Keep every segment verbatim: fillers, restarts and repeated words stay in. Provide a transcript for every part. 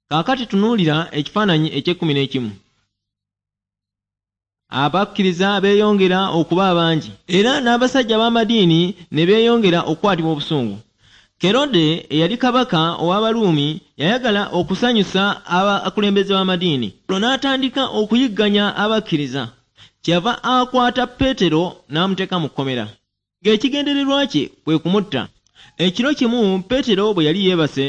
Kaakati tunuulira ekifaananyi eky'ekkumi n'ekimu. Abakkiriza beeyongera okuba abangi, era n'abasajja b'amadiini ne beeyongera okukwatibwa obusungu. Kerode eyali kabaka ow'Abaruumi yayagala okusanyusa abakulembeze b'amadiini, olwo n'atandika okuyigganya abakkiriza. Kyeyava akwata Peetero n'amuteeka mu kkomera, ng'ekigendererwa kye kwe kumutta. Ekiro kimu Peetero bwe yali yeebase,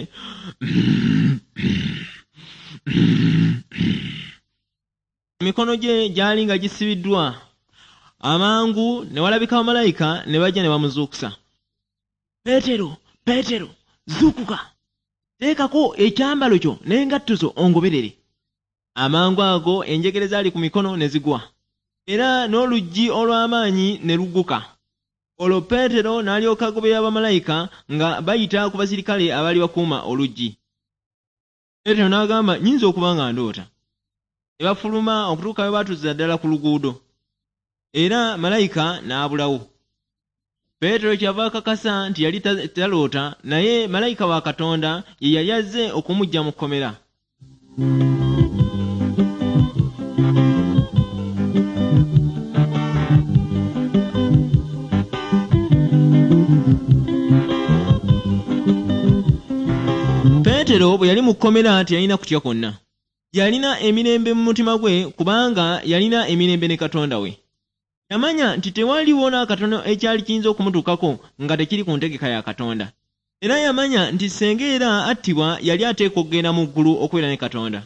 emikono gye gyali nga gisibiddwa. Amangu ne walabika bamalayika ne bajja ne bamuzuukusa. Peetero, Peetero, zuukuka! Teekako ekyambalo kyo n'engatto zo ongoberere. Amangu ago enjegere zaali ku mikono ne zigwa, era n'oluggi olw'amaanyi ne lugguka. Olwo Peetero n'alyoka agoberera bamalayika nga bayita ku basirikale abaali bakuuma oluggi. Peetero n'agamba, nnyinza okuba nga ndoota. Ne bafuluma okutuuka bwe baatuusiza ddala ku luguudo, era malayika n'abulawo. Peetero kyava akakasa nti yali taloota, naye malayika wa Katonda ye yali azze okumuggya mu kkomera. Peetero bwe yali mu kkomera teyalina kutya kwonna. Yalina emirembe mu mutima gwe kubanga yalina emirembe ne Katonda we. Yamanya nti tewaliwo n'akatono ekyali kiyinza okumutuukako nga tekiri ku ntegeka ya Katonda. Era yamanya nti ssenga era attibwa yali ateekwa okugenda mu ggulu okubeera ne Katonda.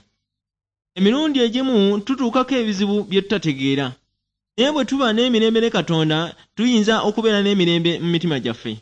Emirundi egimu tutuukako ebizibu bye tutategeera. Naye bwe tuba n'emirembe ne Katonda, tuyinza okubeera n'emirembe mu mitima gyaffe.